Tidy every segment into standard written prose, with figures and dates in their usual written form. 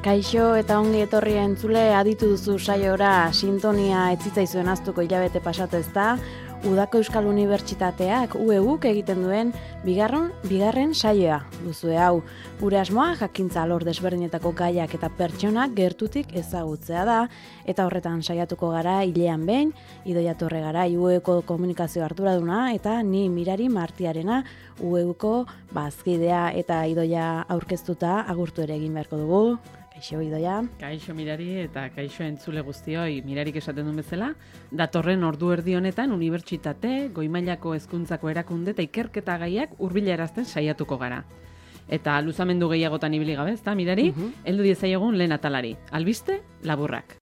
Kaixo eta ongi etorri entzule, aditu duzu saiora sintonia etzitzaizuen aztuko hilabete pasatu ezta, Udako Euskal Unibertsitateak UEUk egiten duen bigarren saioa duzue hau. Gure asmoa jakintza alor desberdinetako gaiak eta pertsonak gertutik ezagutzea da, eta horretan saiatuko gara hilean behin, Idoia Torregarai UEUko komunikazio arduraduna eta ni Mirari Martiarena UEUko bazkidea, eta Idoia aurkeztuta agurtu ere egin beharko dugu. Kaixo, Idoia. Kaixo Mirari eta kaixo entzule guztioi, Mirarik esaten duen bezala, datorren ordu erdi honetan unibertsitate, goi-mailako hezkuntzako erakunde eta ikerketa gaiak hurbilarazten saiatuko gara. Eta luzamendu gehiagotan ibili gabe, ezta Mirari? Heldu diezaiegun lehen atalari. Albiste, laburrak.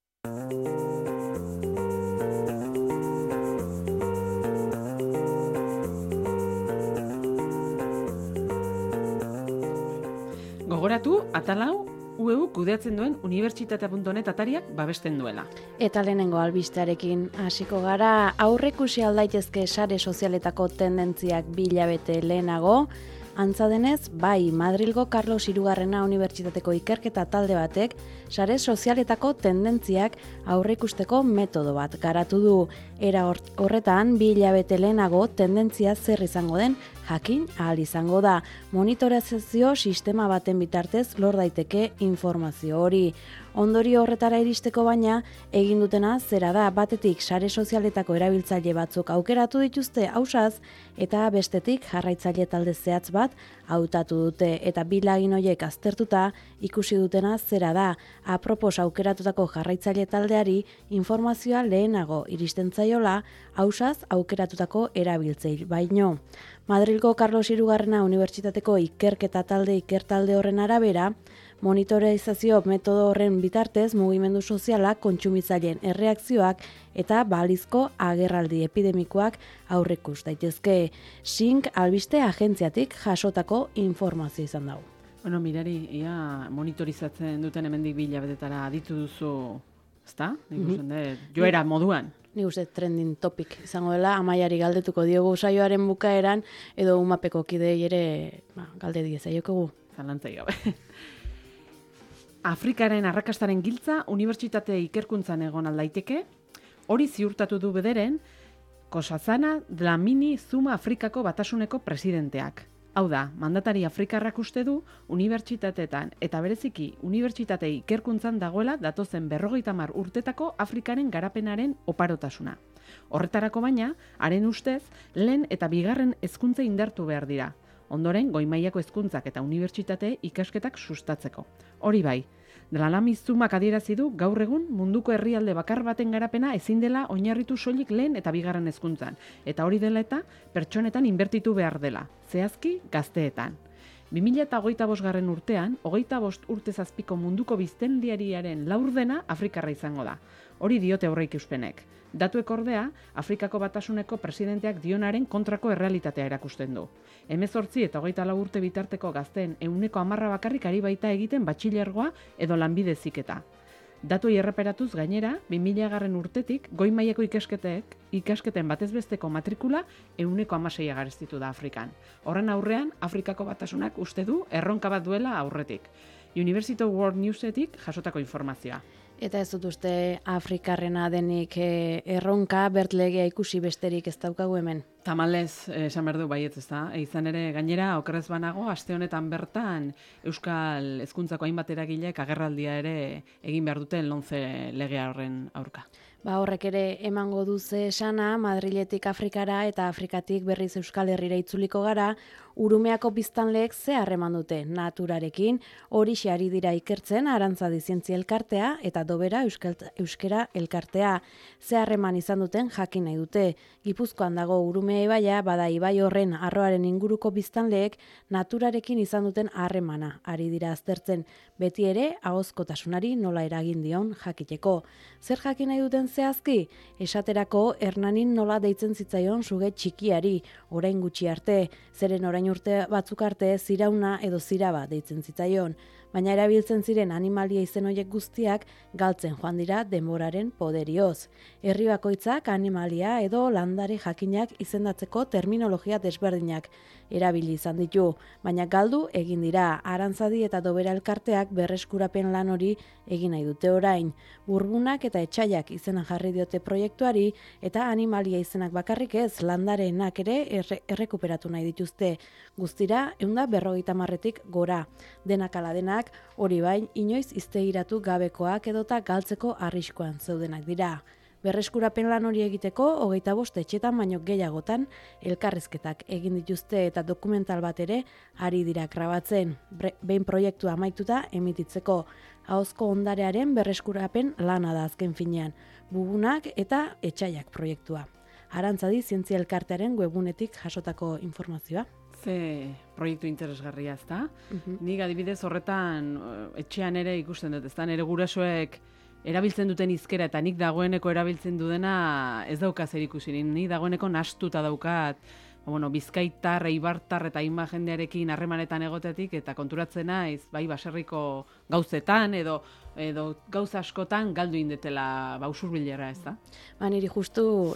Gogoratu, atalau UEU kudeatzen duen unibertsitatea.net atariak babesten duela. Eta lehenengo albistearekin hasiko gara, aurrekusi aldaitezke sare sozialetako tendentziak 2 hilabete lehenago, antza denez, bai Madrilgo Carlos Hirugarrena Unibertsitateko ikerketa talde batek sare sozialetako tendentziak aurreikusteko metodo bat garatu du. Era horretan, 2 hilabete lehenago tendentzia zer izango den jakin ahal izango da. Monitorizazio sistema baten bitartez lor daiteke informazio hori. Ondorio horretara iristeko baina, egin dutena zera da, batetik sare sozialetako erabiltzaile batzuk aukeratu dituzte ausaz, eta bestetik jarraitzaile talde zehatz bat hautatu dute, eta bi lagin horiek aztertuta ikusi dutena zera da, apropos aukeratutako jarraitzaile taldeari informazioa lehenago iristen zaiola ausaz aukeratutako erabiltzaile baino. Madrilgo Carlos Hirugarrena Unibertsitateko ikerketa ikertalde horren arabera, monitorizazio metodo horren bitartez mugimendu soziala, kontsumitzaileen erreakzioak eta balizko agerraldi epidemikoak aurreikus daitezke. SINC albiste agentziatik jasotako informazio izan dago. Bueno, Mirari, ia monitorizatzen duten hemendik 2 hilabetara aditu duzu, ezta? Ikusten dut, joera moduan. Nik uste trending topic izango dela, Amaiari galdetuko diogu saioaren bukaeran, edo umapeko kidei ere galde diezaiokogu. Zalantzai gabe. Afrikaren arrakastaren giltza unibertsitate ikerkuntzan egon aldaiteke, hori ziurtatu du bederen Nkosazana Dlamini Zuma Afrikako Batasuneko presidenteak. Hau da, mandatari afrikarrak uste du unibertsitateetan eta bereziki unibertsitate ikerkuntzan dagoela datozen 50 urtetako Afrikaren garapenaren oparotasuna. Horretarako baina, haren ustez, lehen eta bigarren hezkuntza indartu behar dira. Ondoren, goi-mailako hezkuntzak eta unibertsitate ikasketak sustatzeko. Hori bai, Dlamini Zumak adierazi du gaur egun munduko herrialde bakar baten garapena ezin dela oinarritu soilik lehen eta bigarren hezkuntzan, eta hori dela eta pertsonetan inbertitu behar dela, zehazki gazteetan. 2025 urtean, 25 urte zazpiko munduko biztanleriaren laurdena Afrikarra izango da. Hori diote aurreikuspenek. Datuek ordea, Afrikako Batasuneko presidenteak dionaren kontrako errealitatea erakusten du. 18 eta 24 urte bitarteko gazteen 10% bakarrik ari baita egiten batxilergoa edo lanbide heziketa. Datuei erreparatuz gainera, 2000 urtetik goi-mailako ikasketen batezbesteko matrikula 16% garestitu da Afrikan. Horren aurrean, Afrikako Batasunak uste du erronka bat duela aurretik. University World Newsetik jasotako informazioa. Eta ez dut uste Afrikarrena denik erronka bertlegea ikusi besterik ez daukagu hemen. Tamalez, esan behar du baietz, ez da? Izan ere, gainera, okerrez banago, aste honetan bertan Euskal Hezkuntzako hainbat eragileek agerraldia ere egin behar duten LOMCE legea horren aurka. Horrek ere emango duze esana, Madriletik Afrikara eta Afrikatik berriz Euskal Herrira itzuliko gara, Urumeako biztanleek ze harreman dute naturarekin, horixe ari dira ikertzen Arantzadi Zientzia Elkartea eta Dobera Euskera Elkartea. Ze harreman izan duten jakin nahi dute. Gipuzkoan dago Urumea ibaia, bada ibai horren arroaren inguruko biztanleek naturarekin izan duten harremana ari dira aztertzen, beti ere ahozkotasunari nola eragin dion jakiteko. Zer jakin nahi duten zehazki? Esaterako Hernanin nola deitzen zitzaion suge txikiari, orain gutxi arte, zeren orain urte batzuk arte zirauna edo ziraba deitzen zitzaion. baina erabiltzen ziren animalia izen horiek guztiak galtzen joan dira denboraren poderioz. Herri bakoitzak animalia edo landare jakinak izendatzeko terminologia desberdinak erabili izan ditu, baina galdu egin dira. Arantzadi eta Dobera elkarteak berreskurapen lan hori egin nahi dute orain. Burbunak eta etxaiak izena jarri diote proiektuari eta animalia izenak bakarrik ez, landareenak ere errekuperatu nahi dituzte. Guztira, 150-tik gora. Denak ala denak, hori bain, inoiz iztegiratu gabekoak edota galtzeko arriskoan zeudenak dira. Berreskurapen lan hori egiteko, 25 etxetan baino gehiagotan elkarrizketak egin dituzte eta dokumental bat ere ari dira grabatzen. Behin proiektua amaituta emititzeko. Ahozko ondarearen berreskurapen lana da azken finean. Bubunak eta etxaiak proiektua. Arantzadi Zientzia Elkartearen webunetik jasotako informazioa. Ze proiektu interesgarria, ezta? Nik adibidez horretan etxean ere ikusten dut, ezta? Nere gurasoek erabiltzen duten hizkera eta nik dagoeneko erabiltzen dudana ez dauka zer ikusirik. Nik dagoeneko nahastuta daukat, bizkaitar, eibartar eta hainbat jendearekin harremanetan egotetik eta konturatzen naiz, bai baserriko gauzetan edo gauza askotan galdu indetela usurbilera, ez da? Niri justu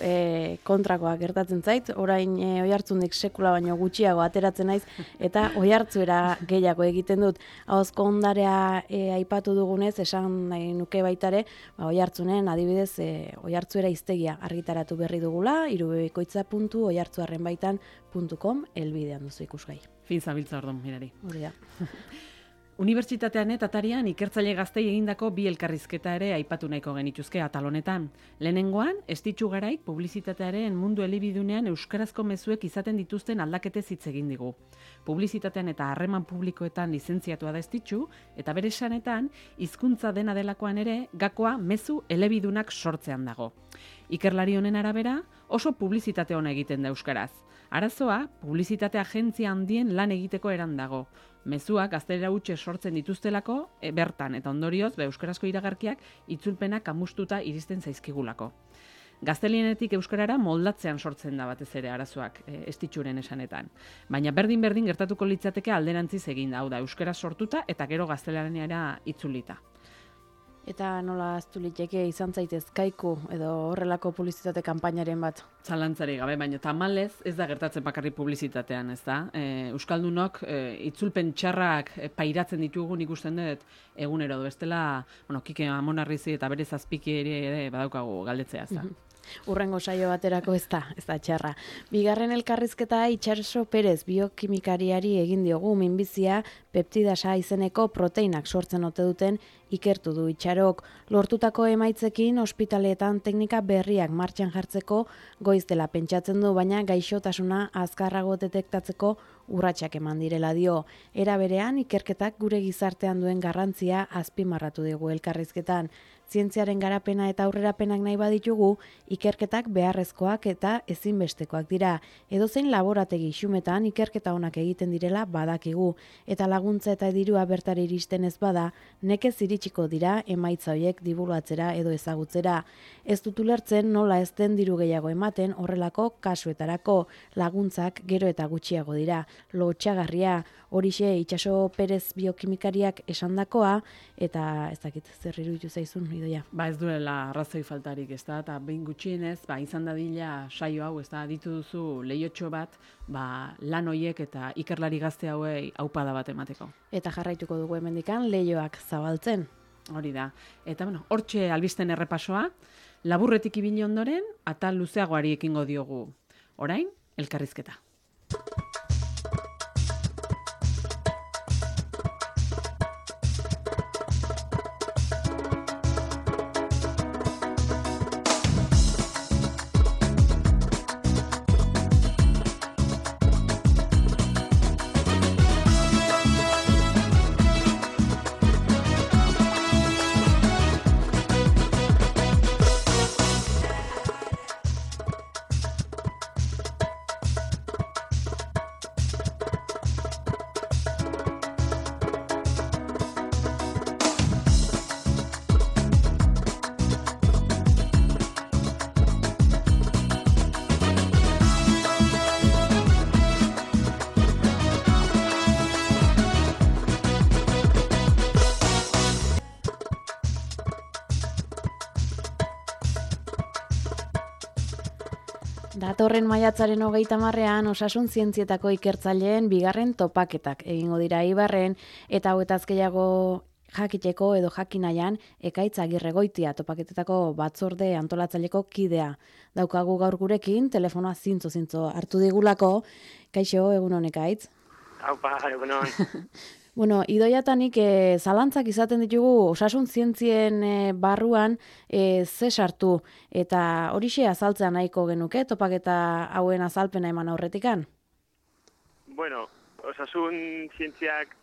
kontrakoa gertatzen zait, orain Oiartzundik sekula baino gutxiago ateratzen naiz, eta Oiartzuera gehiago egiten dut. Ahozko ondarea aipatu dugunez, esan nahi nuke baitare, Oiartzunen adibidez Oiartzuera hiztegia argitaratu berri dugula, irubebikoitza.oiartzuarrenbaitan.com elbidean duzu ikusgai. Fin zabiltza ordon, mirari. Hori da. Unibertsitatean eta Atarian ikertzaile gaztei egindako 2 elkarrizketa ere aipatu nahiko genituzke atal honetan. Lehenengoan, Estitxu Garaik publizitatearen mundu elebidunean euskarazko mezuek izaten dituzten aldaketez hitz egin digu. Publizitatean eta harreman publikoetan lizentziatua da Estitxu, eta bere esanetan, hizkuntza dena delakoan ere, gakoa mezu elebidunak sortzean dago. Ikerlari honen arabera, oso publizitate ona egiten da euskaraz. Arazoa, publizitate agentzia handien lan egiteko eran dago. Mezuak gaztelera hutse sortzen dituztelako, bertan eta ondorioz, euskarazko iragarkiak itzulpenak amustuta iristen zaizkigulako. Gaztelienetik euskarara moldatzean sortzen da batez ere arazoak, Estitxuren esanetan. Baina berdin gertatuko litzateke alderantziz egin da, hau da, euskara sortuta eta gero gaztelaniara itzulita. Eta nola aztu liteke izan zaitez kaiku edo horrelako publizitate kanpainaren bat? Zalantzari gabe, baina tamalez ez da gertatzen bakarrik publizitatean, ez da? Euskaldunok itzulpen txarrak pairatzen ditugun ikusten dut egunero, bestela, Kike Amonarrizi eta bere zazpiki ere badaukagu galdetzea, ez da? Urrengo saio baterako ez da txarra. Bigarren elkarrizketa Itxaso Perez biokimikariari egin diogu minbizia peptidasa izeneko proteinak sortzen ote duten ikertu du Itxarok. Lortutako emaitzekin ospitaleetan teknika berriak martxan jartzeko goiz dela pentsatzen du, baina gaixotasuna azkarrago detektatzeko urratsak eman direla dio. Era berean ikerketak gure gizartean duen garrantzia azpimarratu digu elkarrizketan. Zientziaren garapena eta aurrerapenak nahi baditugu, ikerketak beharrezkoak eta ezinbestekoak dira. Edozein laborategi xumetan ikerketa onak egiten direla badakigu, eta laguntza eta dirua bertara iristen ez bada, nekez iritsiko dira emaitza horiek dibulgatzera edo ezagutzera. Ez dut ulertzen nola ez den diru gehiago ematen horrelako kasuetarako, laguntzak gero eta gutxiago dira. Lotsagarria, horixe Itxaso Perez biokimikariak esandakoa, eta ez dakit zer iruditu zaizun, Idoia. Ez duela arrazoi faltarik, ez da, eta behin gutxienez, izan dadila saio hau, ez da, ditu duzu lehiotxo bat, lan hoiek eta ikerlari gazte hauei aupada bat emateko. Eta jarraituko dugu hemendikan lehioak zabaltzen. Hori da. Eta, hortxe albisten errepasoa, laburretik ibili ondoren, atal luzeagoari ekingo diogu. Orain, elkarrizketa. Datorren maiatzaren 30ean osasun zientzietako ikertzaileen bigarren topaketak egingo dira Eibarren eta hauetaz gehiago jakiteko edo jakinaian Ekaitz Agirregoitia topaketetako batzorde antolatzaileko kidea. Daukagu gaur gurekin, telefonoa zintzo hartu digulako. Kaixo, egun honek Ekaitz. Aupa, egunon. Bueno, idoiatanik zalantzak izaten ditugu osasun zientzien barruan ze sartu eta horixe azaltzea nahiko genuke topaketa hauen azalpena eman aurretikan? Bueno, osasun zientziak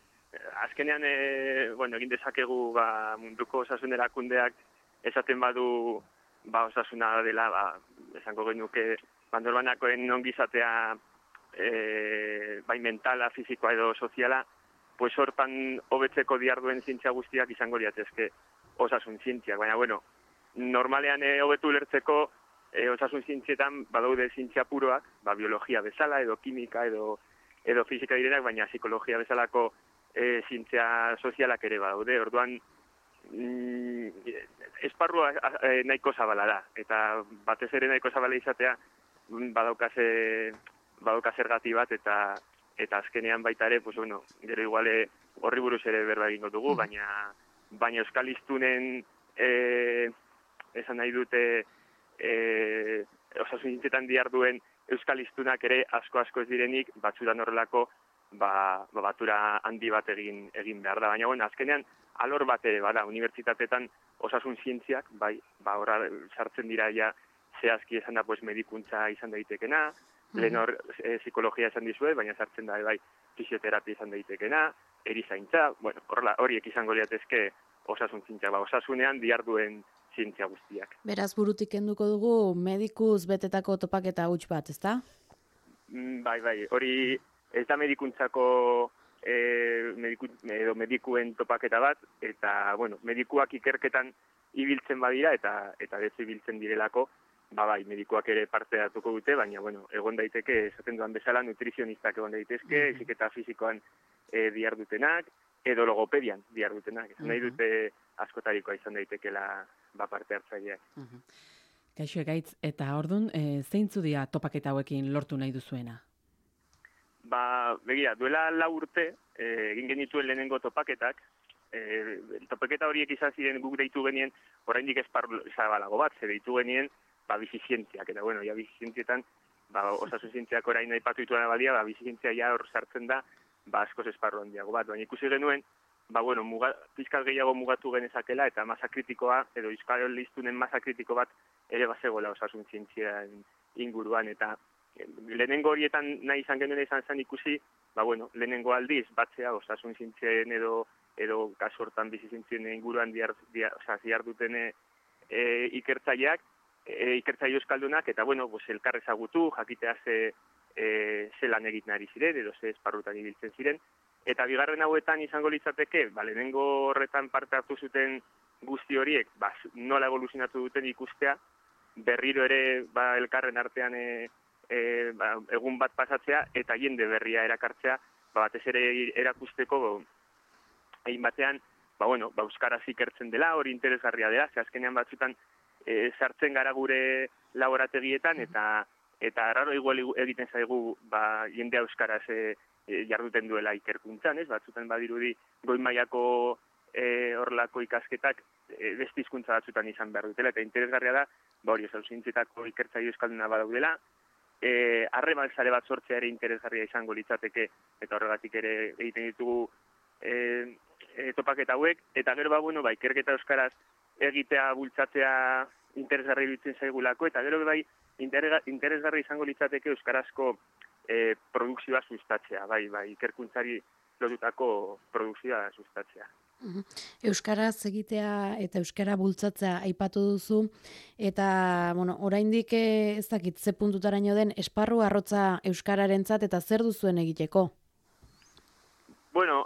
azkenean egin dezakegu munduko osasun erakundeak esaten badu osasuna dela, esango genuke norbanakoen ongizatea bai mentala, fisikoa edo soziala, pues hortan hobetzeko diharduen zientzia guztiak izango liratezke osasun zientziak. Baina, normalean hobetu ulertzeko osasun zientzietan badaude zientzia puroak, biologia bezala, edo kimika, edo fisika direnak, baina psikologia bezalako zientzia sozialak ere badaude. Orduan, esparrua nahiko zabala da, eta batez ere nahiko zabala izatea badauka zergati bat, eta azkenean baita ere, gero iguale horri buruz ere berba egingo dugu, baina euskal hiztunen esan nahi dute osasun zientzietan diharduen euskal hiztunak ere asko ez direnik, batzutan horrelako batura handi bat egin behar da. Baina, azkenean alor bat ere bada, unibertsitateetan osasun zientziak, horra sartzen dira ja zehazki esan da medikuntza izan daitekena, lehen hor psikologia esan dizue, baina sartzen da fisioterapia izan daitekena, erizaintza, horiek izango liratezke osasun zientziak, osasunean diharduen zientzia guztiak. Beraz burutik kenduko dugu medikuz betetako topaketa huts bat, ezta? Bai, hori ez da medikuntzako medikuen topaketa bat, eta medikuak ikerketan ibiltzen badira, eta dezu ibiltzen direlako, medikuak ere parte hartuko dute, baina, egon daiteke, esaten duan bezala, nutrizionistak egon daitezke, heziketa fisikoan dihardutenak, edo logopedian dihardutenak. Esan nahi dute askotarikoa izan daitekela parte hartzaileak. Kaixo Ekaitz, eta ordun zeintzu dira topaketa hauekin lortu nahi duzuena? Begira, duela 4 urte, egin genituen lehenengo topaketak, topaketa horiek izan ziren guk deitu genien, oraindik esparru zabalago bat, ze deitu genien, bizizientziak, eta bizizientzietan, osasun zientziak orain aipatu dituena badia, bizizientzia ja hor sartzen da, askoz esparru handiago bat, baina ikusi genuen, pizkat gehiago mugatu genezakela, eta masa kritikoa, edo euskal liztunen masa kritiko bat, ere bazegoela osasun zientzian inguruan, eta lehenengo horietan nahi izan genuen izan zen ikusi, lehenengo aldiz, batzea osasun zientzien edo kasu hortan bizizientzien inguruan diharduten ikertzaileak, ikertzaile euskaldunak, eta elkar ezagutu, jakitea ze lan egiten ari ziren, edo ze esparrutan ibiltzen ziren. Eta bigarren hauetan izango litzateke, lehenengo horretan parte hartu zuten guzti horiek, nola evoluzionatu duten ikustea, berriro ere elkarren artean egun bat pasatzea, eta jende berria erakartzea, batez ere erakusteko, egin batean, euskaraz ikertzen dela, hori interesgarria dela, ze azkenean batzutan sartzen gara gure laborategietan, eta erraro igual egiten zaigu jendea euskaraz jarduten duela ikerkuntzan, batzutan badirudi goi mailako horrelako ikasketak beste hizkuntza batzutan izan behar dutela, eta interesgarria da, hori osasun zientzietako ikertzaile euskalduna badaudela, harreman sare bat sortzea ere interesgarria izango litzateke, eta horregatik ere egiten ditugu topaketa hauek, eta gero ikerketa euskaraz egitea bultzatzea interesgarri bitzen zaigulako, eta gero interesgarri izango litzateke euskarazko produkzioa sustatzea, ikerkuntzari lotutako produkzioa sustatzea. Euskaraz egitea eta euskara bultzatzea aipatu duzu, eta oraindik ez dakit ze puntutaraino den esparru arrotza euskararentzat eta zer duzuen egiteko?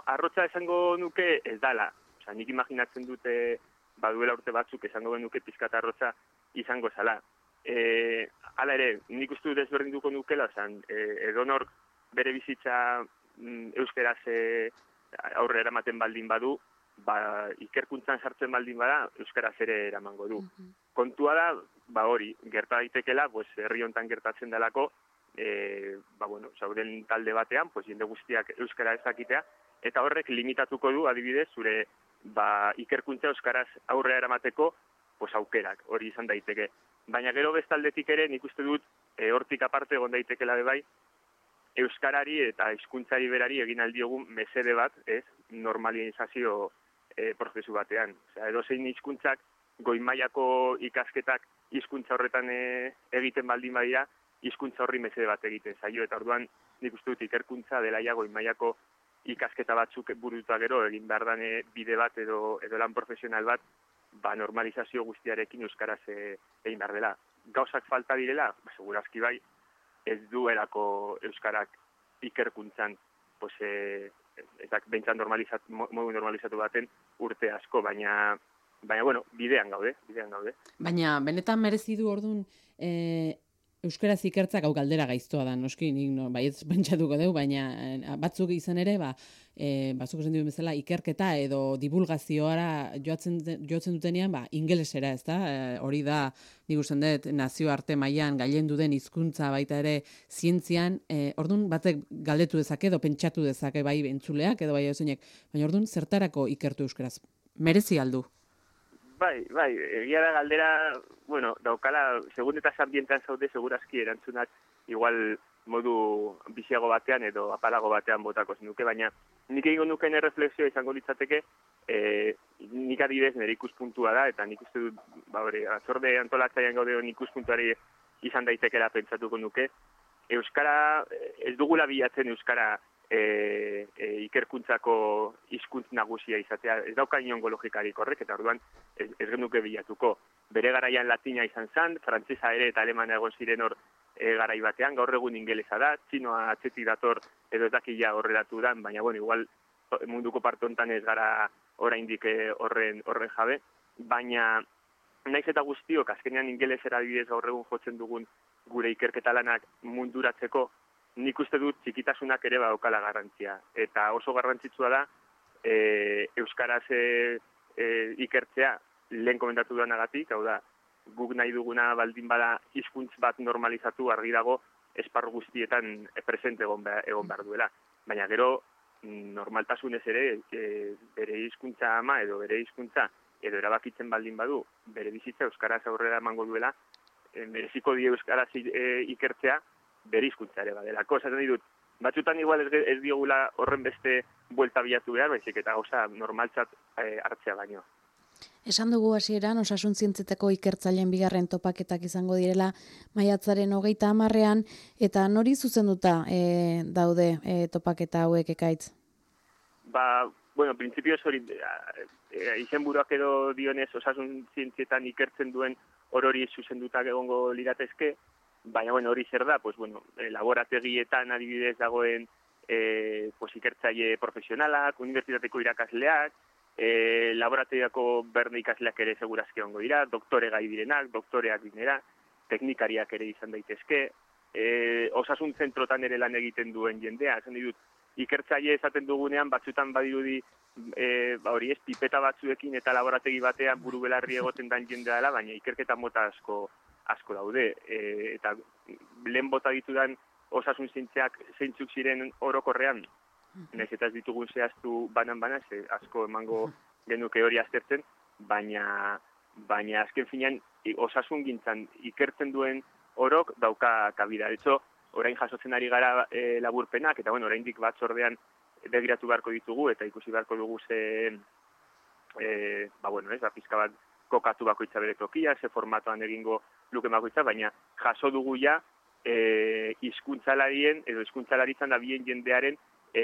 Arrotza esango nuke ez dala. Nik imaginatzen dute baduela urte batzuk esango genuke pizkat arrotza izango zala. Hala ere, nik uste dut ezberdinduko nukela, edonor bere bizitza euskaraz aurrera ematen baldin badu, ikerkuntzan sartzen baldin bada, euskaraz ere eramango du. Kontua da, hori, gerta daitekela, herri hontan gertatzen delako, zauden talde batean, jende guztiak euskara ezakitea, eta horrek limitatuko du, adibidez, zure ikerkuntza euskaraz aurrera eramateko aukerak, hori izan daiteke. Baina gero bestaldetik ere, nik uste dut, hortik aparte egon daitekela bai, euskarari eta hizkuntzari berari egin aldiogun mesede bat, normalizazio prozesu batean. Edozein hizkuntzak goi mailako ikasketak hizkuntza horretan egiten baldin badira, hizkuntza horri mesede bat egiten zaio, eta orduan nik uste dut ikerkuntza dela ja goi mailako ikasketa batzuk burututa gero egin behar dane bide bat edo lan profesional bat, normalizazio guztiarekin euskaraz egin behar dela. Gauzak falta direla, segurazki bai, ez duelako euskarak ikerkuntzan, eta behintzat modu normalizatu baten urte asko, baina bidean gaude. Baina, benetan merezi du orduan, euskaraz ikertzak hau galdera gaiztoa da, noski, nik baietz pentsatuko dugu, baina batzuk izan ere, batzuk esan duen bezala, ikerketa edo divulgazioara joatzen dutenean, ingelesera, ez da? Hori da, nik usten dut, nazioarte mailan gailendu den hizkuntza baita ere zientzian, orduan batek galdetu dezake edo pentsatu dezake bai entzuleak edo bai edozenek, baina orduan zertarako ikertu euskaraz? Merezi aldu? Bai, egia da galdera, daukala, segun eta ambientean zaude, segurazki erantzunak igual modu biziago batean edo apalago batean botako zenuke, baina nik egingo nuken erreflexioa izango litzateke, nik adibidez nire ikuspuntua da, eta nik uste dut, atzorde antolatzaian gaude ikuspuntuari izan daitekela pentsatuko nuke, euskara, ez dugula bilatzen euskara ikerkuntzako hizkuntz nagusia izatea, ez dauka inongo logikarik horrek, eta orduan ez genuke bilatuko. Bere garaian latina izan zen, frantzesa ere eta alemana egon ziren hor garai batean, gaur egun ingelesa da, txinoa atzetik dator edo ez dakila horrelatu da, baina igual munduko parte hontan ez gara oraindik horren jabe, baina naiz eta guztiok, azkenean ingelesera adibidez gaur egun jotzen dugun gure ikerketa lanak munduratzeko, nik uste dut txikitasunak ere badaukala garrantzia. Eta oso garrantzitsua da euskaraz ikertzea lehen komentatu duanagatik, hau da, guk nahi duguna baldin bada hizkuntz bat normalizatu argi dago esparru guztietan presente egon behar duela. Baina gero normaltasunez ere bere hizkuntza ama edo bere hizkuntza edo erabakitzen baldin badu bere bizitza euskaraz aurrera emango duela, mereziko die euskaraz ikertzea bere hizkuntza ere badelako. Esaten ditut, batzutan igual ez diogula horren beste buelta bilatu behar, baizik eta gauza normaltzat hartzea baino. Esan dugu hasieran osasun zientzietako ikertzaileen bigarren topaketak izango direla maiatzaren 30ean, eta nori zuzenduta daude topaketa hauek Ekaitz? Printzipioz hori izenburuak edo dionez osasun zientzietan ikertzen duen orori zuzendutak egongo liratezke, baina hori zer da, laborategietan adibidez dagoen ikertzaile profesionalak, unibertsitateko irakasleak, laborategiako berne ikasleak ere segurazki egongo dira, doktore gai direnak, doktoreak dinera, teknikariak ere izan daitezke, osasun zentrotan ere lan egiten duen jendea, esan ditut, ikertzaile esaten dugunean batzutan badirudi hori ez, pipeta batzuekin eta laborategi batean buru belarri egoten dan jendea dela, baina ikerketa mota asko daude, eta lehen bota ditudan osasun zientziak zeintzuk ziren orokorrean, nahiz eta ez ditugun zehaztu banan-banan, asko emango genuke hori aztertzen, baina azken finean osasun gintzan ikertzen duen orok dauka kabida. Etxo, orain jasotzen ari gara laburpenak, eta oraindik batzordean begiratu beharko ditugu, eta ikusi beharko dugu pizka bat kokatu bakoitza bere tokia, ze formatoan egingo luke bakoitza, baina jaso dugu ja hizkuntzalarien edo hizkuntzalaritzan dabien jendearen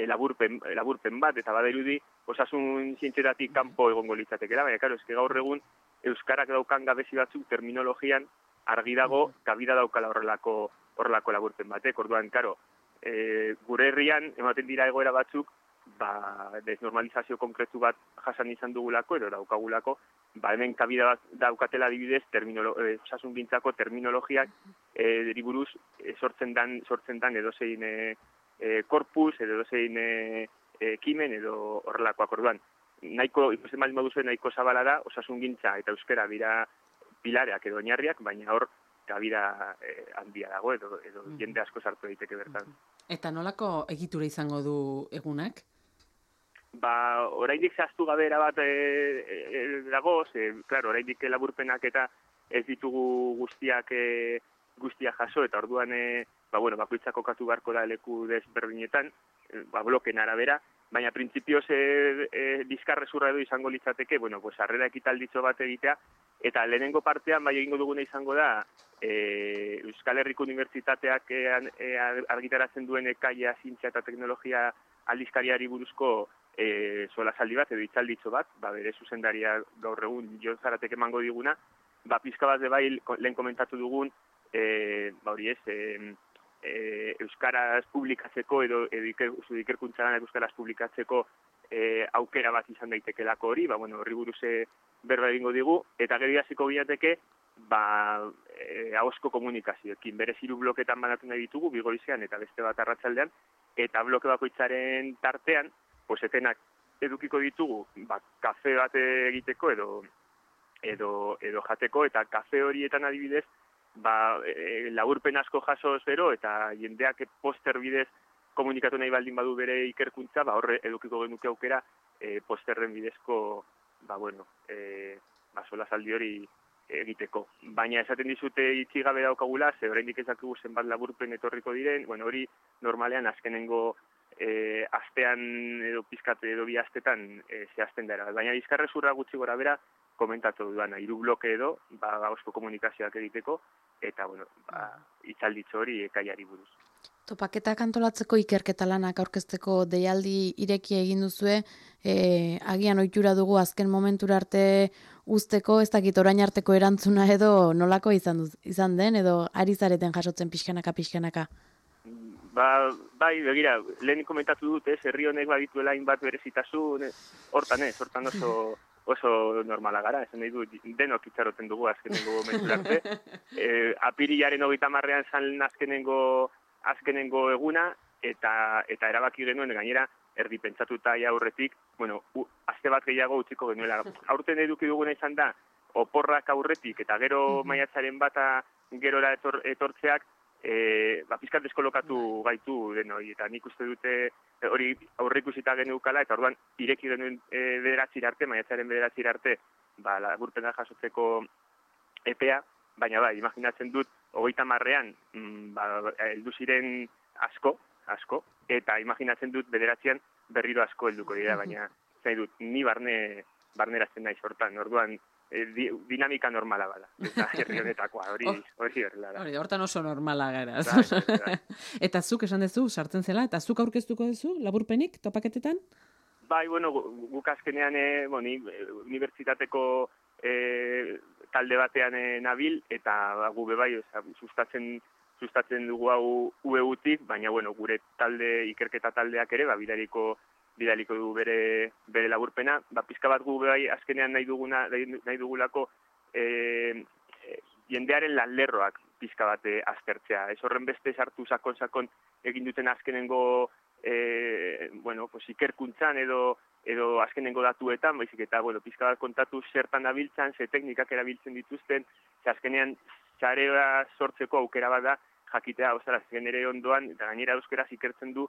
laburpen bat, eta badirudi osasun zientzietatik kanpo egongo litzatekela, baina karo, eske gaur egun euskarak daukan gabezi batzuk terminologian argi dago kabida daukala horrelako laburpen batek. Orduan, karo, gure herrian ematen dira egoera batzuk, desnormalizazio konkretu bat jasan izan dugulako edo daukagulako, hemen kabida bat daukatela adibidez osasun gintzako terminologiak buruz sortzen dan edozein korpus edo edozein ekimen edo horrelakoak. Orduan, nahiko, ikusten baldin baduzu nahiko zabala da, osasungintza eta euskara dira pilareak edo oinarriak, baina hor gabida handia dago edo jende asko sartu daiteke bertan. Eta nolako egitura izango du egunak? Oraindik zehaztu gabe erabat dago, claro, oraindik laburpenak eta ez ditugu guztiak jaso, eta orduan bakoitzak kokatu beharko da leku desberdinetan, bloken arabera, baina printzipioz bizkarrezurra edo izango litzateke, harrera ekitalditxo bat egitea, eta lehenengo partean bai egingo duguna izango da Euskal Herriko Unibertsitateak argitaratzen duen ekaia zientzia eta teknologia aldizkariari buruzko solasaldi bat edo hitzalditxo bat, bere zuzendaria gaur egun Jon Zaratek emango diguna, pizka bat bai lehen komentatu dugun, euskaraz publikatzeko edo ikerkuntzan euskaraz publikatzeko aukera bat izan daitekelako hori, horri buruz berba egingo digu, eta gero hasiko ginateke ahozko komunikazioekin. Berez 3 bloketan banatu nahi ditugu, bi goizean eta beste bat arratsaldean, eta bloke bakoitzaren tartean, etenak edukiko ditugu, kafe bat egiteko edo jateko, eta kafe horietan adibidez, laburpen asko jaso zero, eta jendeak poster bidez komunikatu nahi baldin badu bere ikerkuntza, horre edukiko genuke aukera posterren bidezko solasaldi hori egiteko. Baina esaten dizute itxi gabe daukagula, ze oraindik ez dakigu zenbat laburpen etorriko diren, hori normalean azkenengo astean edo pizkate edo 2 astetan zehazten dara. Baina bizkarrezurra gutxi gora bera komentatu duana, 3 bloke edo, gauzko komunikazioak egiteko, eta, hitzalditxo hori ekaiari buruz. Topaketak antolatzeko ikerketa lanak aurkezteko deialdi ireki egin duzue, agian ohitura dugu azken momentura arte uzteko, ez dakit orain arteko erantzuna edo nolako izan den, edo ari zareten jasotzen pixkanaka? Bai, begira, lehen komentatu dut, herri honek badituela hainbat berezitasun, hortan oso normala gara, esan nahi du, denok itxaroten dugu azkenengo momentu arte. Apirilaren 30ean zan azkenengo eguna, eta erabaki genuen gainera, erdi pentsatuta aurretik, aste bat gehiago utziko genuela. Aurten eduki duguna izan da, oporrak aurretik, eta gero maiatzaren bata gerora etortzeak, pizkat deskolokatu gaitu denoi, eta nik uste dute hori aurreikusita geneukala, eta orduan ireki genuen maiatzaren 9 arte, laburpena jasotzeko epea, baina imaginatzen dut, 30ean heldu ziren asko, eta imaginatzen dut 9ean berriro asko helduko dira, baina zain dut, ni barnerazten naiz hortan, orduan dinamika normala bada, eta herri honetakoa, hori horrela da. Hortan oso normala gara. Eta zuk esan duzu, sartzen zela, eta zuk aurkeztuko duzu, laburpenik, topaketetan? Bai, guk azkenean unibertsitateko talde batean nabil, eta gu bebai, sustatzen dugu hau UEU-tik, baina gure ikerketa taldeak ere, bidaliko du bere laburpena. Pizka bat gu bebai azkenean nahi dugulako jendearen lanlerroak pizka bat aztertzea. Ez horren beste sartu sakon egin duten azkenengo ikerkuntzan edo azkenengo datuetan, baizik eta pizka bat kontatu zertan dabiltzan, ze teknikak erabiltzen dituzten, ze azkenean sarea sortzeko aukera bat da jakitea, nire ondoan, eta gainera euskeraz ikertzen du,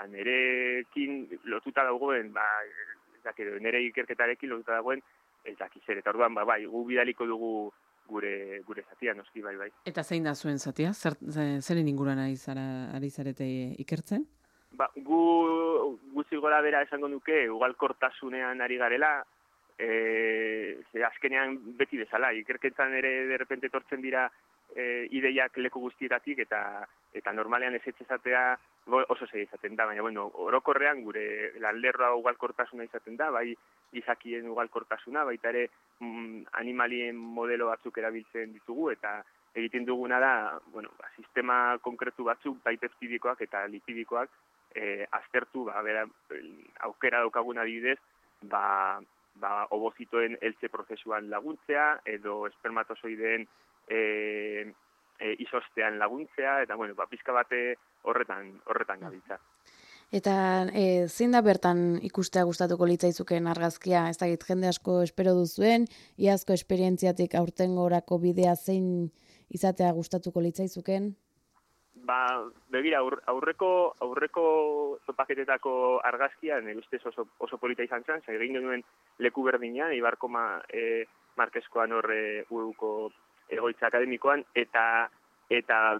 nerekin lotuta dagoen, nire ikerketarekin lotuta dagoen, ez dakizer. Eta orduan, gu bidaliko dugu gure zatia, noski, bai. Eta zein da zuen zatia? Zeren inguruan ari zarete ikertzen? Gu gutxi gora bera esango nuke, ugalkortasunean ari garela, azkenean beti bezala, ikerketan ere derrepente etortzen dira ideiak leku guztietatik, eta normalean ez ezatea oso zei izaten da, baina orokorrean gure lanlerroa ugalkortasuna izaten da, bai izakien ugalkortasuna, baita ere animalien modelo batzuk erabiltzen ditugu, eta egiten duguna da, sistema konkretu batzuk, bai peptidikoak eta lipidikoak, aztertu, aukera daukagun adibidez, ovozitoen heltze prozesuan laguntzea, edo espermatozoideen izostean laguntzea, eta pizka bate horretan gabiltza. Eta zein da bertan ikustea gustatuko litzaizuken argazkia? Ez dakit jende asko espero duzuen, iazko esperientziatik aurtengorako bidea zein izatea gustatuko litzaizuken? Begira, aurreko topaketetako argazkia, nire ustez oso polita izan zen, egin genuen leku berdinean, Ibarko Markeskoan horre uruko egoitza akademikoan, eta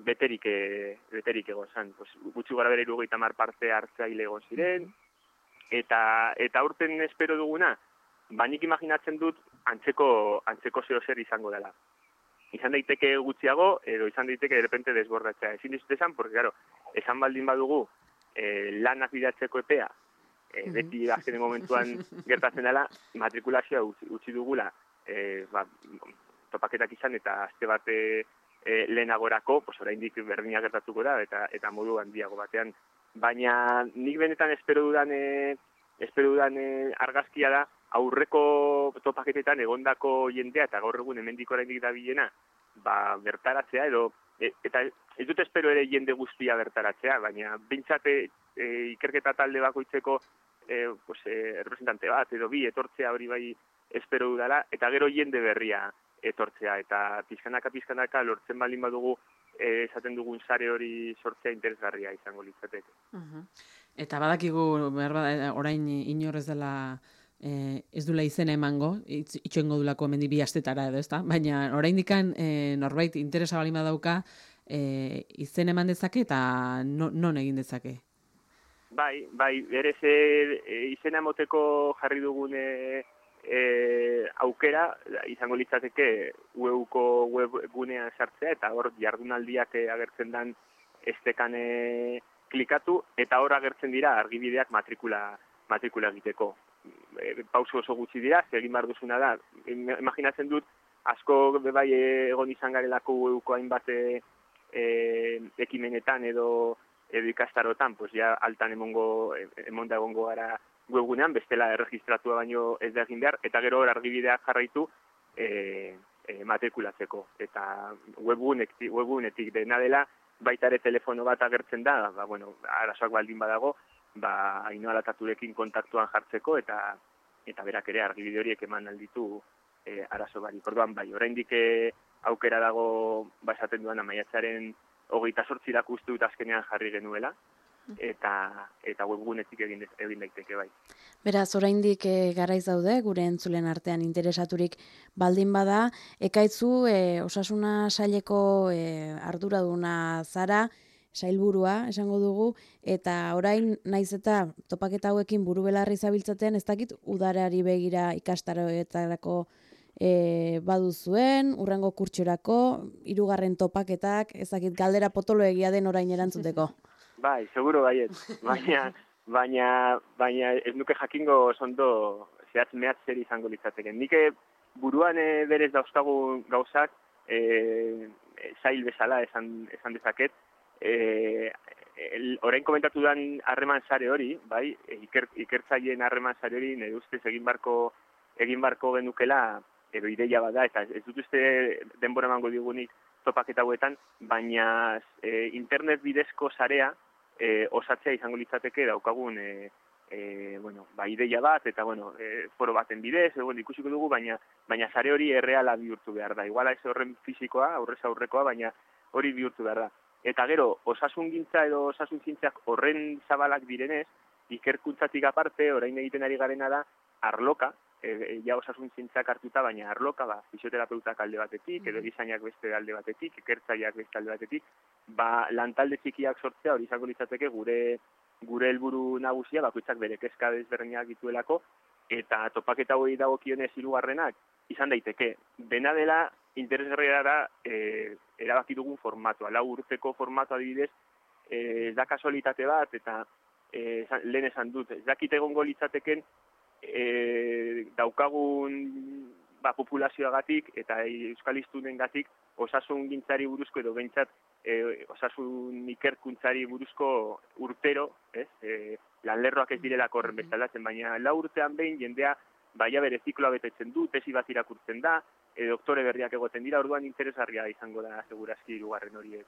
beterik egon zen. Gutxi gara bere 30 parte hartzaile egon ziren, eta aurten espero duguna, nik imaginatzen dut antzeko zeo zer izango dela. Izan daiteke gutxiago, edo izan daiteke de repente desbordatzea. Ezin dizut esan, porque, claro, esan baldin badugu lanak bidatzeko epea, beti azkenen momentuan gertatzen dela, matrikulazioa utzi dugula, topaketak izan eta aste bate lehenagorako, oraindik berdina gertatuko da, eta modu handiago batean. Baina nik benetan espero dudan argazkia da, aurreko topaketetan egondako jendea eta gaur egun hemendik oraindik dabilena, bertaratzea edo eta ez dut espero ere jende guztia bertaratzea, baina behintzat ikerketa talde bakoitzeko representante bat edo bi etortzea hori bai espero dudala, eta gero jende berria etortzea, eta pizkanaka lortzen baldin badugu esaten dugun sare hori sortzea interesgarria izango litzateke. Eta badakigu orain inor ez dela ez dula izena emango, itxoengo dulako hemendik 2 astetara edo, ezta? Baina oraindikan norbait interesa baldin badauka izen eman dezake eta non egin dezake? Bai, berez izena emoteko jarri dugun aukera izango litzateke UEUko webgunean sartzea eta hor jardunaldiak agertzen dan estekan klikatu eta hor agertzen dira argibideak matrikula egiteko. Pauso oso gutxi dira, egin behar duzuna da. Imaginatzen dut, asko bai egon izan garelako UEUko hainbat ekimenetan edo ikastarotan, ja altan emonda egongo gara webgunean, bestela erregistratua baino ez da egin behar, eta gero hor argibideak jarraitu matrikulatzeko. Eta webgunetik dena dela, baita ere telefono bat agertzen da, arazoak baldin badago, Ainhoa Lataturekin kontaktuan jartzeko, eta berak ere argibide horiek eman alditu arazo barik. Orduan oraindik aukera dago esaten duan maiatzaren 28 uste dut azkenean jarri genuela, eta webgunetik egin daiteke bai. Beraz, oraindik garaiz daude, gure entzulen artean interesaturik baldin bada, ekaitzu osasuna saileko arduraduna zara, sailburua, esango dugu, eta orain naiz eta topaketa hauekin buru belarri zabiltzaten, ez dakit udarari begira ikastaroetarako baduzuen, urrengo kurtsorako, 3. topaketak, ez dakit galdera potolo egia den orain erantzuteko. Bai, seguro baiet, baina ez nuke jakingo zondo zehatz mehatz zer izango litzateken. Nik buruan berez dauzkagun gauzak zail bezala esan dezaket, orain komentatu dan harreman sare hori, bai, ikertzaileen harreman sare hori, nire ustez egin barko genukela, edo ideia bada, eta ez dut uste denbora emango digunik topaketa hauetan, baina internet bidezko sarea osatzea izango litzateke daukagun ideia bat, eta foro baten bidez, ikusiko dugu, baina sare hori erreala bihurtu behar da. Iguala ez horren fisikoa, aurrez aurrekoa, baina hori bihurtu behar da. Eta gero, osasungintza edo osasuntzintzeak horren zabalak direnez, ikerkuntzatik aparte, orain egiten ari garena da, arloka, ja osasuntzintzeak hartuta, baina arloka, fisioterapeutak alde batetik, edo disainak beste alde batetik, ikertzaileak beste alde batetik, lantalde txikiak sortzea hori izango litzateke gure helburu nagusia, bakoitzak bere kezka desberdinak dituelako, eta topaketa hori dagokionez 3. izan daiteke. Dena dela, interesgarria da erabaki dugun formatua. 4 urteko formatua adibidez, ez da kasualitate bat, eta lehen esan dut, ez dakit egongo litzateken daukagun populazioagatik eta euskal hiztunengatik osasun gintzari buruzko edo behintzat osasun ikerkuntzari buruzko urtero, lanlerroak ez direlako horren bezalatzen, baina 4 urtean behin jendea baina bere zikloa betetzen du, tesi bat irakurtzen da, doktore berriak egoten dira, orduan interesgarria izango da segurazki 3. horiek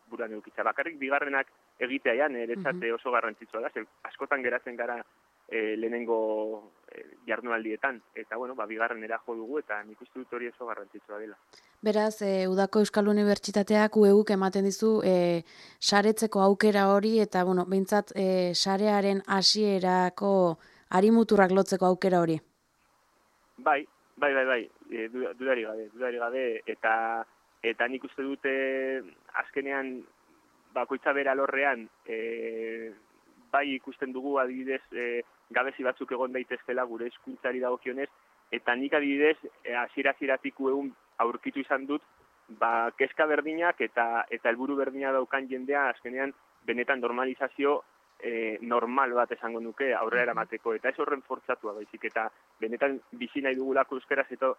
buruan edukitza. Bakarrik 2. egitea niretzat oso garrantzitsua da, askotan geratzen gara lehenengo jardunaldietan, eta bueno, bigarrenera jo dugu, eta nik uste dut hori oso garrantzitsua dela. Beraz, Udako Euskal Unibertsitateak UEUk ematen dizu saretzeko aukera hori, eta bueno, behintzat sarearen hasierako harimuturrak lotzeko aukera hori. Bai, dudari gabe, eta nik uste dute azkenean bakoitza bera alorrean bai ikusten dugu adibidez gabezi batzuk egon daitezkela gure hizkuntzari dagokionez, eta nik adibidez hasieratik egun aurkitu izan dut kezka berdinak eta helburu berdina daukan jendea azkenean benetan normalizazio normal bat esango nuke aurrera eramateko, eta ez horren fortzatua baizik, eta benetan bizi nahi dugulako euskaraz edo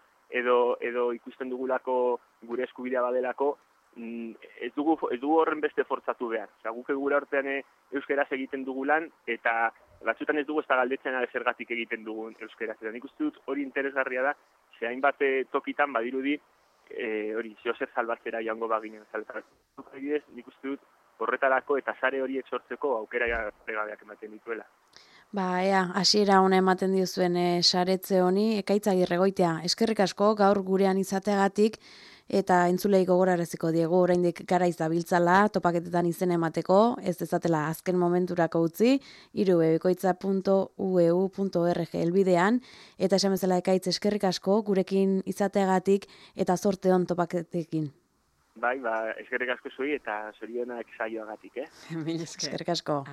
ikusten dugulako gure eskubidea badelako, ez dugu horren beste fortzatu behar. Guk gure artean euskaraz egiten dugulan, eta batzutan ez dugu ez da galdetzen zergatik egiten dugun euskaraz. Eta nik uste dut hori interesgarria da, ze hainbat tokitan badirudi, hori, zeozer salbatzera joango baginen. Nik uste dut horretarako eta sare horiek sortzeko aukera pregabeak ematen dituela. Ea, hasiera ona ematen diozuen saretze honi, Ekaitz Agirregoitia, eskerrik asko gaur gurean izateagatik, eta entzulei gogoraraziko diegu oraindik garaiz dabiltzala topaketetan izen emateko, ez dezatela azken momenturako utzi, irubebikoitza.ueu.org helbidean, eta esan bezala Ekaitz eskerrik asko gurekin izateagatik eta zorte on topaketekin. Bai, eskerrik asko zuei eta zorionak saioagatik, Eskerrik asko.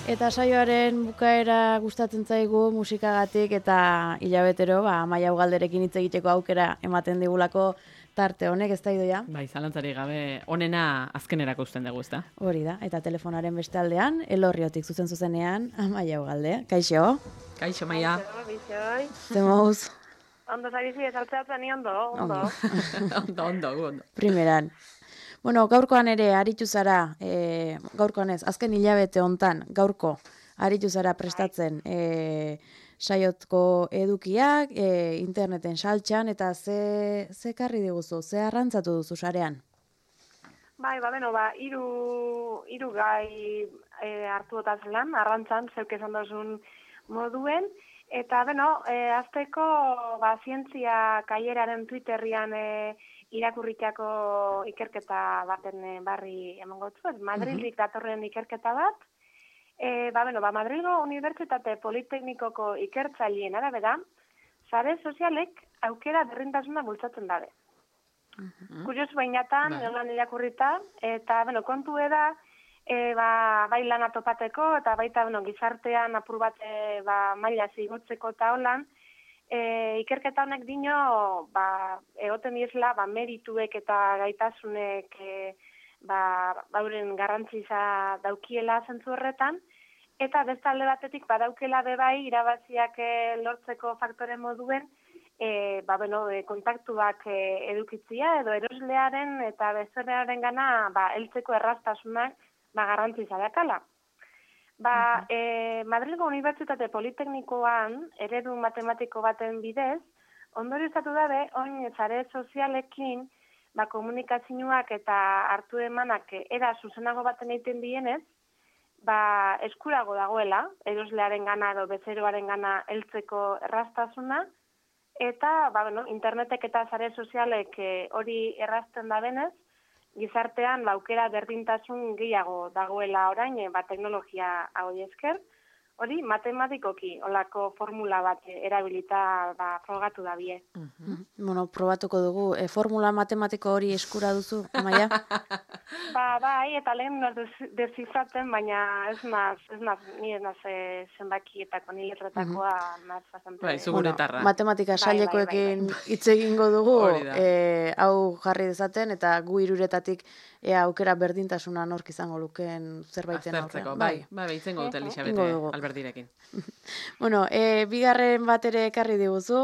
Eta saioaren bukaera gustatzen zaigu musikagatik eta hilabetero Amaia Ugalderekin hitz egiteko aukera ematen digulako tarte honek, ez da Idoia? Bai, zalantzari gabe onena azkenerako usten dugu, ezta? Hori da, eta telefonaren beste aldean, Elorriotik zuzenean, Amaia Ugalde. Kaixo? Kaixo, Maia. Zemouz? Ondo zabizi, esaltzeatzen ni ondo. Ondo. Primeran. Bueno, gaurkoan ere aritu zara, gaurkoan ez, azken hilabete hontan, gaurko aritu zara prestatzen saiotko edukiak, interneten saltxan, eta ze karri diguzu, ze arrantzatu duzu sarean? Bai, hiru gai hartu otazelan, arrantzan, zeuk esan dozun moduen, eta, azteko, zientzia kaieraren Twitterrian irakurritako ikerketa baten barri emango zu, Madrildik datorren ikerketa bat. Madrilgo Unibertsitate Politeknikoko ikertzaileen arabera, sare sozialek aukera berdintasuna bultzatzen dabe. Kuriosu bainatan, lan irakurrita, eta kontu da, bai lana topateko, eta baita gizartean apur bat maila zigotzeko eta holan, ikerketa honek dino, egoten diezela, merituek eta gaitasunek bauren garrantziza daukiela zentzu horretan, eta beste alde batetik badaukela bebai irabaziak lortzeko faktore moduen, kontaktuak edukitzia, edo eroslearen eta bezeroaren gana heltzeko erraztasunak garrantziza dakala. Madrilgo Unibertsitate Politeknikoan eredu matematiko baten bidez, ondorioztatu dabe, oin sare sozialekin komunikazioak eta hartu emanak era zuzenago baten egiten dienez, eskurago dagoela, eroslearen gana edo bezeroaren gana heltzeko erraztasuna, eta internetek eta sare sozialek hori errazten da benez, gizartean aukera berdintasun gehiago dagoela orain, teknologia hau esker. hori matematikoki olako formula bat erabilita frogatu da bie. Bueno, probatuko dugu. Formula matematiko hori eskura duzu, Amaia? Bai, eta lehen desifratzen, baina ni ez naz zenbakietako, ni letretakoa naz bastante... Bai, zuguretarra. Matematika sailekoekin hitz egingo dugu, hau jarri dezaten, eta gu hiruretatik aukera berdintasuna nork izango lukeen zerbaiten aurrean. Bai, itzengo dute Elisabete Alberdirekin. Bueno, bigarren bat ere ekarri diguzu.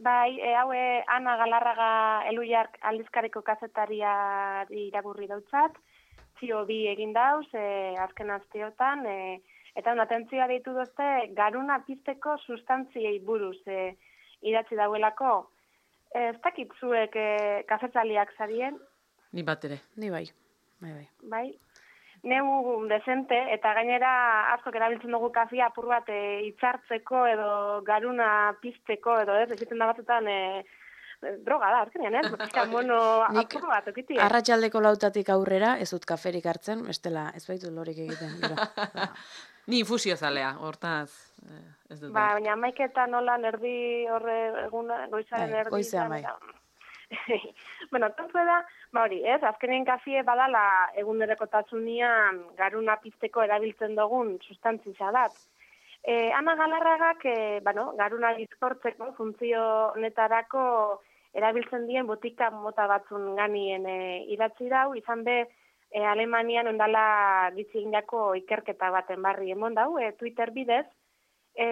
Bai, hau Ana Galarraga Eluiark aldizkariko kazetaria irakurri dautzat, zio bi egin dauz, azken asteotan, eta atentzioa deitu dozte, garuna pizteko sustantziei buruz idatzi dauelako. Ez dakit zuek kazetaliak zarien? Ni bat ere. Ni bai. Bai. Neu dezente, eta gainera askok erabiltzen dugu kafia apur bat itxartzeko edo garuna pizteko edo ez da batzutan droga da, azkenean, ez? Mono apur bat, okiti. Arratsaldeko 4 aurrera, ez dut kaferik hartzen, bestela ez baitu lorik egiten. Ni infusio zalea, hortaz ez dut. Baina maiketan nolan erdi horre eguna, goizaren erdi. Goizean bai. Bueno, tontu da, hori, ez, azkenien kafie badala egunerokotasunean garuna pizteko erabiltzen dugun sustantzia dat. Ana Galarragak, garuna bizkortzeko funtzio honetarako erabiltzen dien botika mota batzun ganien idatzi dau, izan be Alemanian ondala gitziginako ikerketa baten barri emon dau, Twitter bidez.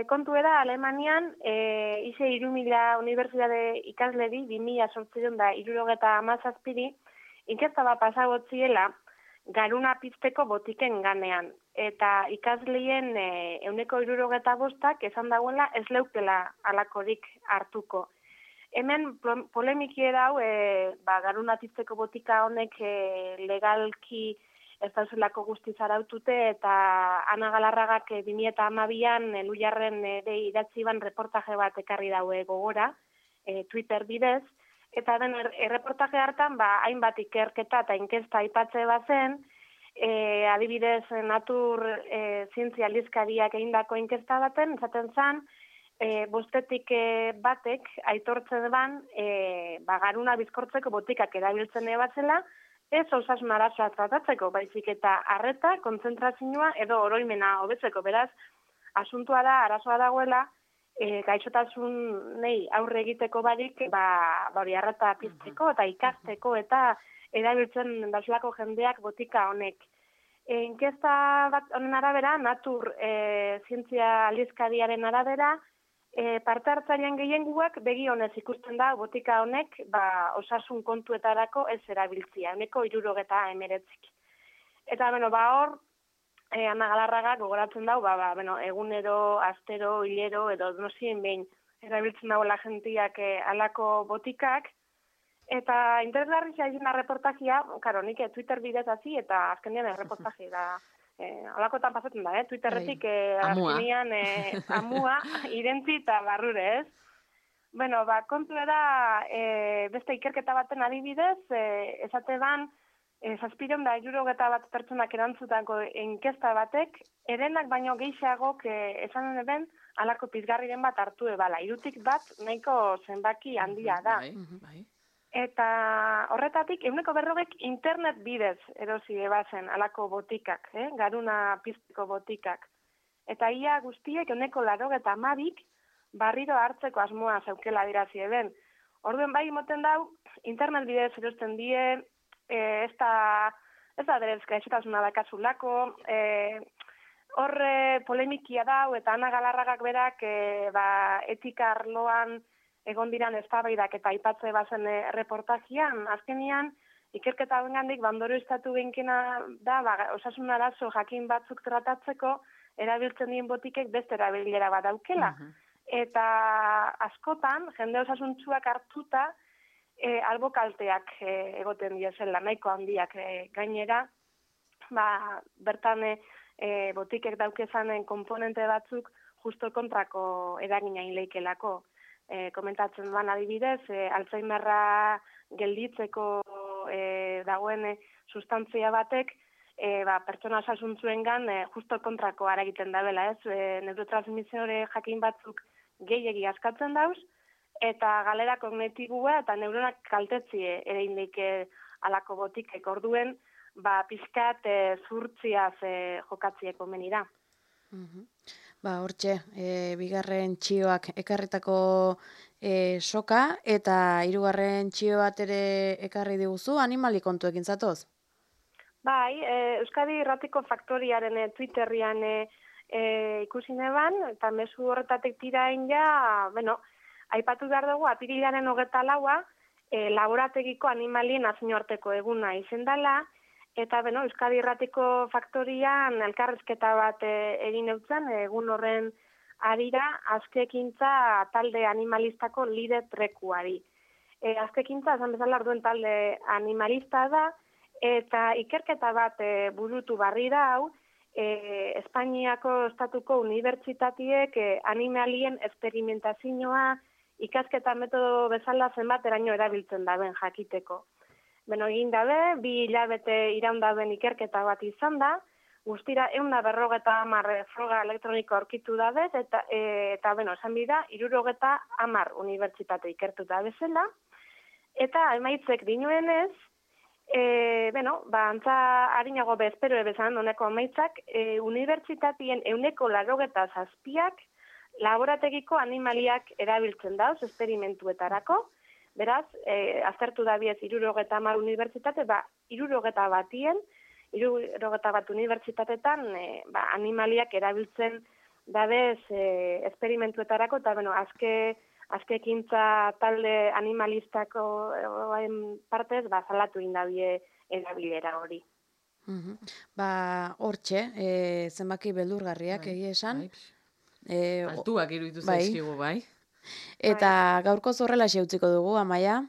Kontu da, Alemanian, ize 3.000 unibertsitate ikasleri 2008 inkesta bat pasagotziela garuna pizteko botiken ganean. Eta ikasleien 175 esan dagoela ez leukela alakorik hartuko. Hemen polemiki dau, garuna pizteko botika honek legalki ez dauzelako guztiz arautute, eta Ana Galarragak 2012an Eluiarren idatzi ban reportaje bat ekarri daue gogora, Twitter bidez, eta den erreportaje hartan, hainbat ikerketa eta inkesta aipatze bazen, adibidez Natur zientzia aldizkariak egindako inkesta baten, esaten zan, bostetik batek aitortzen ban, garuna bizkortzeko botikak erabiltzen batzela, ez osasun arazoa tratatzeko, baizik eta arreta, kontzentrazioa edo oroimena hobetzeko. Beraz, asuntua da, arazoa dagoela, gaixotasunei aurre egiteko barik, hori arreta pizteko eta ikasteko eta erabiltzen dauzulako jendeak botika honek. Inkesta bat honen arabera, Natur zientzia aldizkariaren arabera, parte hartzailean gehiengoak begi honez ikusten da botika honek osasun kontuetarako ez erabiltzia, 69%. Eta, hor, Ana Galarraga gogoratzen dau, egunero, astero, hilero, edo nosien behin erabiltzen dagoela jentiak alako botikak. Eta interesgarri zaizena reportajia, nik Twitter bidez hasi, eta azkenean reportajia da. Alakotan pasatzen da, Twitterretik azkenean amua, irentzi eta barrure, ez? Bueno, kontu da, beste ikerketa baten adibidez, esate ban, 761 pertsonak erantzutako inkesta batek, erenak baino gehiagok esanen eben, alako pizgarriren bat hartu ebala. 3 bat nahiko zenbaki handia da. Eta horretatik, 140 internet bidez erosi ebazen alako botikak, garuna pizteko botikak. Eta ia guztiek 180 barriro hartzeko asmoa zeukela dirazi eben. Orduen bai moten dau, internet bidez erosten die, ez da derez gaixotasuna dakazulako, horre polemikia dau, eta Ana Galarragak berak etika arloan egon diran eztabaidak eta aipatze bazen reportajian, azkenian, ikerketa bengandik bandoro estatu behinkena da, osasun arazo jakin batzuk tratatzeko, erabiltzen dien botikek beste erabilera bat daukela. Eta askotan, jende osasuntsuak hartuta, albokalteak egoten diezela, nahiko handiak gainera, bertan botikek daukezanen komponente batzuk justo kontrako eragina inleikelako. Komentatzen ban adibidez, Alzheimerra gelditzeko dagoen sustantzia batek, pertsona osasuntsuengan justo kontrakoa egiten dabela, ez? Neurotransmisore jakin batzuk gehiegi askatzen dauz, eta galera kognitibua eta neuronak kaltetzie ere indike alako botikek orduen, pizkat zurtziaz jokatzieko menira. Hortxe, bigarren txioak ekarritako soka, eta hirugarren txio bat ere ekarri diguzu, animali kontuekin zatoz? Bai, Euskadi Irratiko Faktoriaren Twitterrian ikusi neban, eta mezu horretatik tirain ja, aipatu behar dugu, apirilaren 24 laborategiko animalien nazioarteko eguna izendala, eta Euskadi Irratiko Faktorian elkarrezketa bat egin eutzen, egun horren arira, azkekintza talde animalistako lider trekuari. Azkekintza, esan bezala arduen talde animalista da, eta ikerketa bat burutu barri da hau, Espainiako estatuko unibertsitatiek animalien esperimentazioa ikasketa metodo bezala zenbateraino erabiltzen daben jakiteko. Egin dabe, 2 hilabete iraun daben ikerketa bat izan da, guztira 150 froga elektroniko aurkitu dabez, eta esan bida, 350 unibertsitate ikertuta bezala, eta emaitzek dinuenez, antza harinago bezpero bezan honeko emaitzak, unibertsitatien 187 laborategiko animaliak erabiltzen dauz esperimentuetarako, beraz, aztertu dabiez 350 unibertsitate, 351 unibertsitatetan animaliak erabiltzen dabez esperimentuetarako, eta azkekintza talde animalistako partez, salatu indabie erabilera hori. Hortxe, zenbaki beldurgarriak egia esan. Altuak iruditu zaizkigu, bai. Eta gaurko zorrela utziko dugu, Amaia.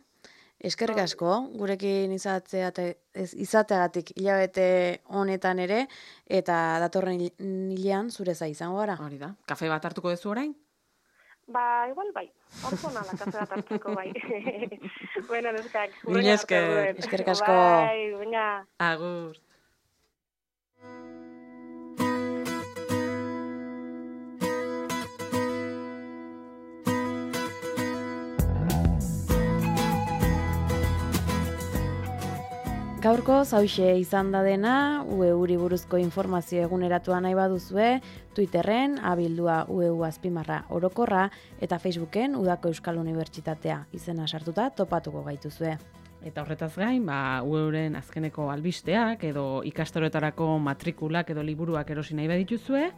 Eskerrik asko, gurekin izateagatik hilabete honetan ere, eta datorren hilean zure za izango gara. Hori da, kafe bat hartuko duzu orain? Igual bai, orko nala kafe bat hartuko bai. Bueno, neskak. Mila esker. Eskerrik asko. Bai, baina. Agur. Gaurko zauxe izan da dena, UEUri buruzko informazio eguneratua nahi baduzue, Twitterren abildua UEU_orokorra eta Facebooken Udako Euskal Unibertsitatea izena sartuta topatuko gaituzue. Eta horretaz gain, UEUren azkeneko albisteak edo ikastaroetarako matrikulak edo liburuak erosi nahi badituzue,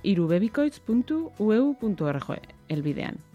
irubebikoitz.ueu.org elbidean.